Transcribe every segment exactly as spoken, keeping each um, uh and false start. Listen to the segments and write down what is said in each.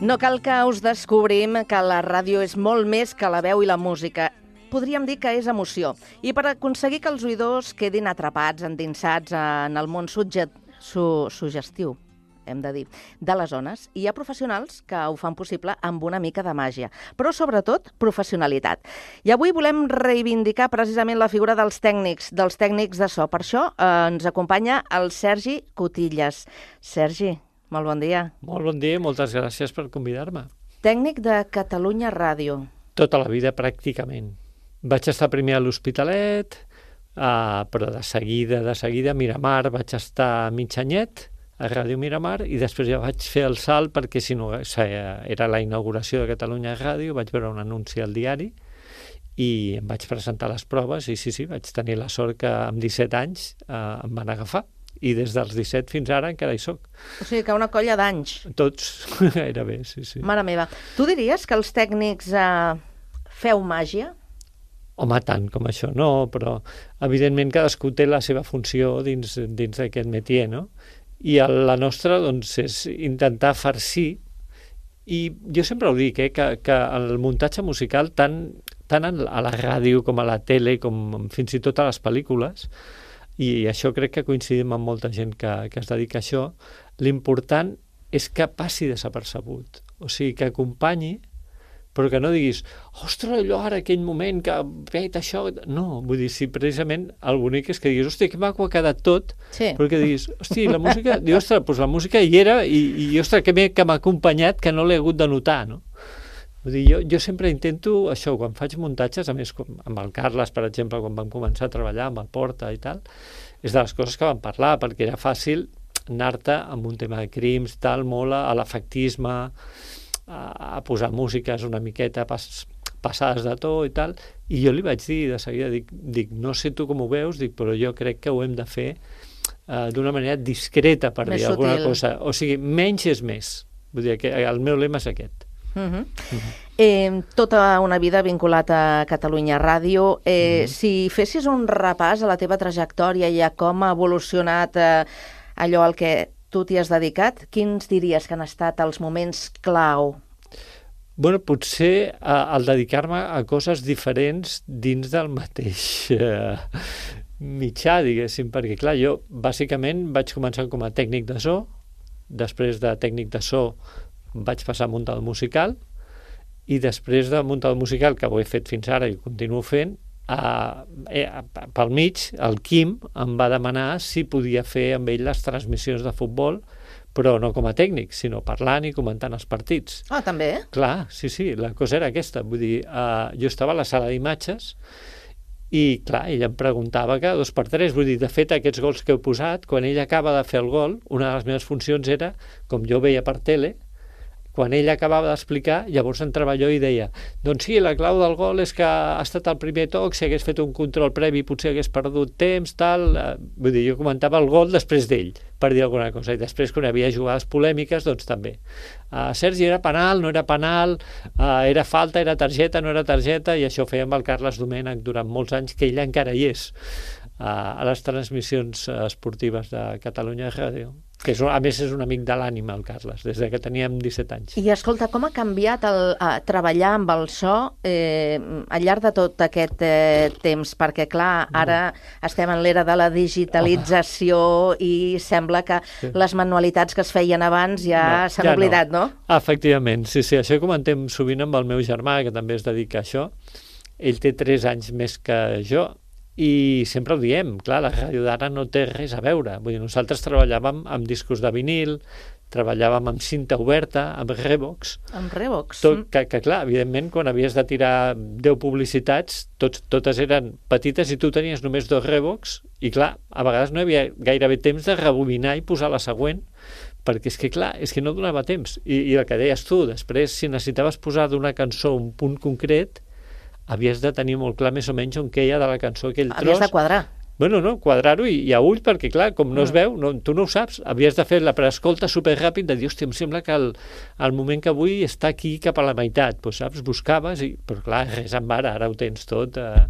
No cal que us descobrim que la ràdio és molt més que la veu i la música. Podríem dir que és emoció. I per aconseguir que els oïdors quedin atrapats, endinsats en el món sugge- su suggestiu, hem de dir, de les ones, hi ha professionals que ho fan possible amb una mica de màgia, però sobretot professionalitat. I avui volem reivindicar precisament la figura dels tècnics, dels tècnics de so. Per això eh, ens acompanya el Sergi Cotillas. Sergi, molt bon dia. Molt bon dia i moltes gràcies per convidar-me. Tècnic de Catalunya Ràdio. Tota la vida, pràcticament. Vaig estar primer a l'Hospitalet, uh, però de seguida, de seguida a Miramar, vaig estar mig anyet a Ràdio Miramar i després ja vaig fer el salt perquè si no era la inauguració de Catalunya Ràdio, vaig veure un anunci al diari i em vaig presentar les proves i sí, sí, vaig tenir la sort que amb disset anys uh, em van agafar. I des dels disset fins ara encara hi soc. O sigui que una colla d'anys. Tots, gairebé, sí, sí. Mare meva. Tu diries que els tècnics eh, feu màgia? Home, tant com això no, però evidentment cadascú té la seva funció dins, dins d'aquest métier, no? I el, la nostra, doncs, és intentar farcir, i jo sempre ho dic, eh, que, que el muntatge musical, tant, tant a la ràdio com a la tele, com fins i tot a les pel·lícules, i això crec que coincidim amb molta gent que, que es dedica a això, l'important és que passi desapercebut, o sigui, que acompanyi, però que no diguis, ostres, allò ara, aquell moment que vet això... No, vull dir, si precisament el bonic és que diguis, hòstia, que maco ha quedat tot, sí. Però que diguis, hòstia, la música... Diu, ostres, doncs la música hi era i, i ostres, que bé que m'ha acompanyat que no l'he hagut de notar, no? Vull dir, jo, jo sempre intento això, quan faig muntatges, a més com amb el Carles, per exemple, quan vam començar a treballar amb el Porta i tal, és de les coses que vam parlar, perquè era fàcil anar-te amb un tema de crims, tal, molt a l'efectisme, a, a posar músiques una miqueta pas, passades de to i tal, i jo li vaig dir de seguida, dic, dic, no sé tu com ho veus, dic, però jo crec que ho hem de fer uh, d'una manera discreta, per més dir alguna sutil. cosa. O sigui, menys és més. Vull dir, que el meu lema és aquest. Uh -huh. Uh -huh. Eh, tota una vida vinculat a Catalunya Ràdio. Eh, uh -huh. Si fessis un repàs a la teva trajectòria i a com ha evolucionat eh, allò al que tu t'hi has dedicat, quins diries que han estat els moments clau? Bueno, potser eh, el dedicar-me a coses diferents dins del mateix eh, mitjà, diguéssim, perquè clar, jo bàsicament vaig començar com a tècnic de so, després de tècnic de so vaig passar a muntar el musical i després de muntar el musical, que ho he fet fins ara i ho continuo fent, a, a, pel mig el Quim em va demanar si podia fer amb ell les transmissions de futbol, però no com a tècnic, sinó parlant i comentant els partits. Ah, també? Clar, sí, sí, la cosa era aquesta. Vull dir, uh, jo estava a la sala d'imatges i, clar, ell em preguntava cada dos per tres. Vull dir, de fet, aquests gols que he posat, quan ell acaba de fer el gol, una de les meves funcions era, com jo veia per tele, quan ell acabava d'explicar, llavors entrava jo i deia, doncs sí, la clau del gol és que ha estat el primer toc, si hagués fet un control previ potser hagués perdut temps, tal... Vull dir, jo comentava el gol després d'ell, per dir alguna cosa, i després quan hi havia jugades polèmiques, doncs també. Uh, Sergi, era penal, no era penal, uh, era falta, era targeta, no era targeta, i això feia amb el Carles Domènech durant molts anys, que ell encara hi és, uh, a les transmissions esportives de Catalunya Ràdio. Que és, a més és un amic de l'ànima, el Carles, des que teníem disset anys. I escolta, com ha canviat el, a treballar amb el so eh, al llarg de tot aquest eh, temps? Perquè, clar, ara no. estem en l'era de la digitalització oh. i sembla que sí. les manualitats que es feien abans ja no, s'han ja oblidat, no. no? Efectivament, sí, sí. Això ho comentem sovint amb el meu germà, que també es dedica a això. Ell té tres anys més que jo, i sempre ho diem, clar, la ràdio d'ara no té res a veure. Vull dir, nosaltres treballàvem amb discos de vinil, treballàvem amb cinta oberta, amb Revox. Amb Revox. Tot, que, que, clar, evidentment, quan havies de tirar deu publicitats, tots, totes eren petites i tu tenies només dos Revox, i clar, a vegades no hi havia gairebé temps de rebobinar i posar la següent, perquè és que, clar, és que no donava temps. I, i el que deies tu, després, si necessitaves posar d'una cançó un punt concret, havies de tenir molt clar més o menys on queia de la cançó aquell tros. Havies de quadrar. Bueno, no, quadrar-ho i, i a ull, perquè clar, com no es veu, no, tu no ho saps, havies de fer la preescolta superràpid de dir, hòstia, em sembla que el, el moment que vull està aquí cap a la meitat, doncs saps, buscaves, i, però clar, res en ara, ara ho tens tot eh,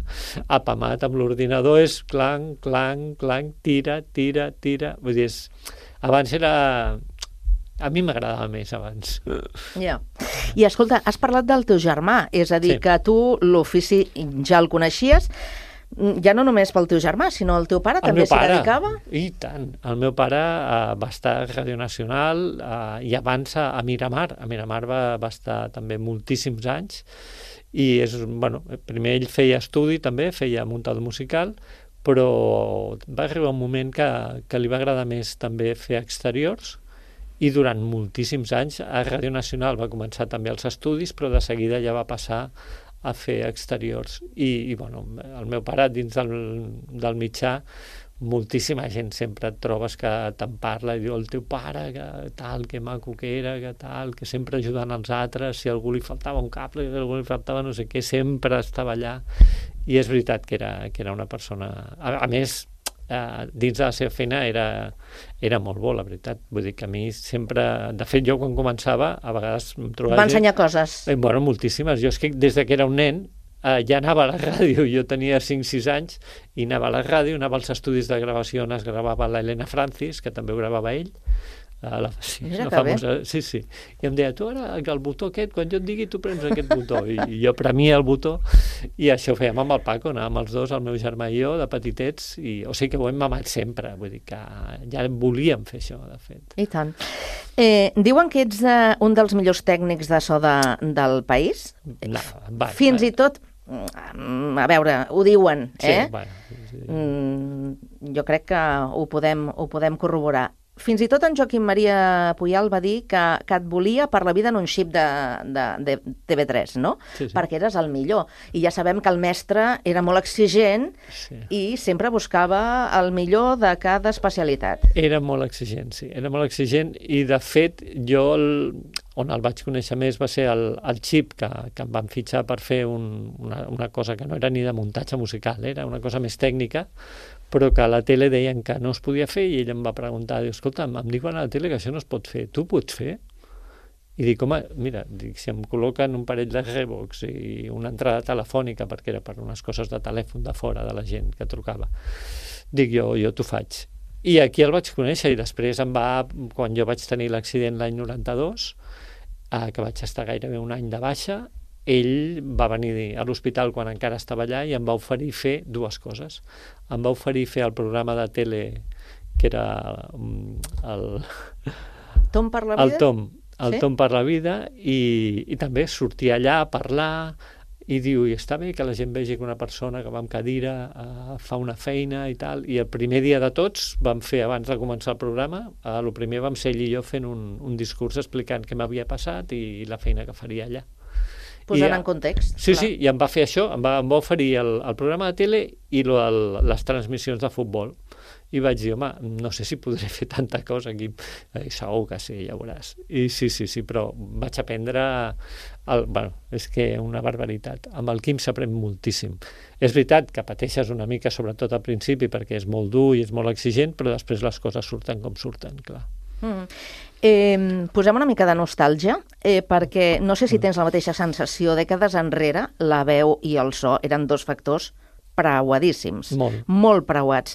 apamat amb l'ordinador, és clanc, clanc, clanc, tira, tira, tira, vull dir, és, abans era... A mi m'agradava més abans. Ja. I escolta, has parlat del teu germà, és a dir, Sí. que tu l'ofici ja el coneixies, ja no només pel teu germà, sinó el teu pare El també meu s'hi pare, dedicava? i tant. El meu pare uh, va estar a Ràdio Nacional uh, i abans a, a Miramar. A Miramar va, va estar també moltíssims anys i és, bueno, primer ell feia estudi també, feia muntador musical, però va arribar un moment que, que li va agradar més també fer exteriors i durant moltíssims anys a Ràdio Nacional va començar també els estudis, però de seguida ja va passar a fer exteriors. I, i bueno, el meu pare dins del, del mitjà, moltíssima gent sempre et trobes que te'n parla i diu el teu pare, que tal, que maco que era, que tal, que sempre ajudant els altres, si a algú li faltava un cable, si a algú li faltava no sé què, sempre estava allà. I és veritat que era, que era una persona... A, a més, eh, dins de la seva feina era, era molt bo, la veritat. Vull dir que a mi sempre... De fet, jo quan començava, a vegades em trobava... Va ensenyar coses. Eh, bueno, moltíssimes. Jo és que des de que era un nen eh, ja anava a la ràdio. Jo tenia cinc sis anys i anava a la ràdio, anava als estudis de gravació on es gravava l'Helena Francis, que també ho gravava ell. A la, sí, Mira la que famosa, sí, sí. I em deia, tu ara el botó aquest, quan jo et digui tu prens aquest botó. I, i jo premia el botó i això ho fèiem amb el Paco, anàvem els dos, el meu germà i jo, de petitets, i, o sigui que ho hem mamat sempre, vull dir que ja volíem fer això, de fet. I tant. Eh, diuen que ets eh, un dels millors tècnics de so de, del país. No, va, Fins va. i tot, mm, a veure, ho diuen, eh? Sí, bueno, sí. Mm, jo crec que ho podem, ho podem corroborar. Fins i tot en Joaquim Maria Puyal va dir que, que et volia per la vida en un xip de, de, de T V tres, no? Sí, sí. Perquè eres el millor. I ja sabem que el mestre era molt exigent Sí. i sempre buscava el millor de cada especialitat. Era molt exigent, sí, era molt exigent i de fet jo el, on el vaig conèixer més va ser el, el xip que, que em van fitxar per fer un, una, una cosa que no era ni de muntatge musical, era una cosa més tècnica, però que a la tele deien que no es podia fer i ell em va preguntar, diu, escolta, em diuen a la tele que això no es pot fer, tu pots fer? I dic, home, mira, dic, si em col·loquen un parell de Revox i una entrada telefònica, perquè era per unes coses de telèfon de fora de la gent que trucava, dic, jo, jo t'ho faig. I aquí el vaig conèixer i després em va, quan jo vaig tenir l'accident l'any noranta-dos, eh, que vaig estar gairebé un any de baixa, ell va venir a l'hospital quan encara estava allà i em va oferir fer dues coses. Em va oferir fer el programa de tele que era el, Tom per la vida? el Tom, el Sí? Tom per la vida i, i també sortir allà a parlar i diu, i està bé que la gent vegi que una persona que va amb cadira eh, fa una feina i tal, i el primer dia de tots vam fer, abans de començar el programa, eh, el primer vam ser ell i jo fent un, un discurs explicant què m'havia passat i, i la feina que faria allà. Posant I, en context. Sí, clar. sí, i em va fer això, em va, em va oferir el, el programa de tele i lo, el, les transmissions de futbol. I vaig dir, home, no sé si podré fer tanta cosa aquí. I segur que sí, ja veuràs. I sí, sí, sí, però vaig aprendre... El, bueno, és que una barbaritat. Amb el Quim s'aprèn moltíssim. És veritat que pateixes una mica, sobretot al principi, perquè és molt dur i és molt exigent, però després les coses surten com surten, clar. Mm. Eh, posem una mica de nostàlgia, eh, perquè no sé si tens la mateixa sensació. Dècades enrere, la veu i el so eren dos factors preuadíssims. Molt. Molt preuats.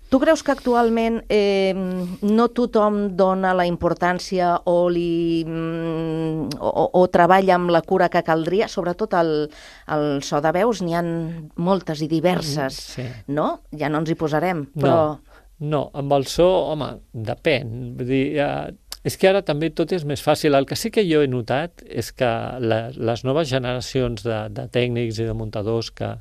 Tu creus que actualment eh, no tothom dona la importància o, li, mm, o, o treballa amb la cura que caldria? Sobretot el, el so de veus, n'hi ha moltes i diverses, Sí. no? Ja no ens hi posarem, però... No, no, amb el so, home, depèn. Vull dir, eh, és que ara també tot és més fàcil. El que sí que jo he notat és que la, les noves generacions de, de tècnics i de muntadors que,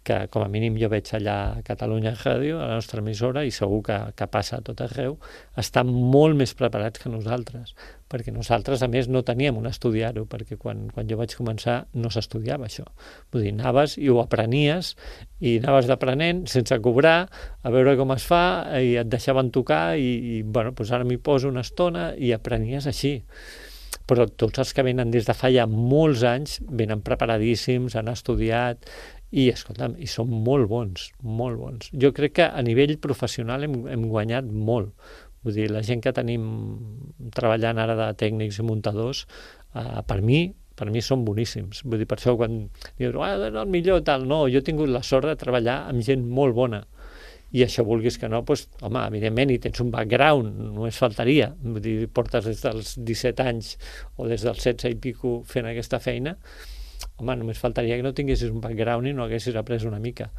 que com a mínim jo veig allà a Catalunya Ràdio, a la nostra emissora, i segur que, que passa a tot arreu, estan molt més preparats que nosaltres, perquè nosaltres, a més, no teníem on estudiar-ho, perquè quan, quan jo vaig començar no s'estudiava això. Vull dir, anaves i ho aprenies, i anaves d'aprenent sense cobrar, a veure com es fa, i et deixaven tocar, i, i bueno, doncs ara m'hi poso una estona, i aprenies així. Però tots els que venen des de fa ja molts anys venen preparadíssims, han estudiat, i, escolta'm, i són molt bons, molt bons. Jo crec que a nivell professional hem, hem guanyat molt. Vull dir, la gent que tenim treballant ara de tècnics i muntadors, eh, per mi, per mi són boníssims. Vull dir, per això quan dius, ah, és el millor, tal, no, jo he tingut la sort de treballar amb gent molt bona. I això, vulguis que no, doncs, home, evidentment, hi tens un background, només faltaria. Vull dir, portes des dels disset anys o des dels setze i pico fent aquesta feina, home, només faltaria que no tinguessis un background i no haguessis après una mica.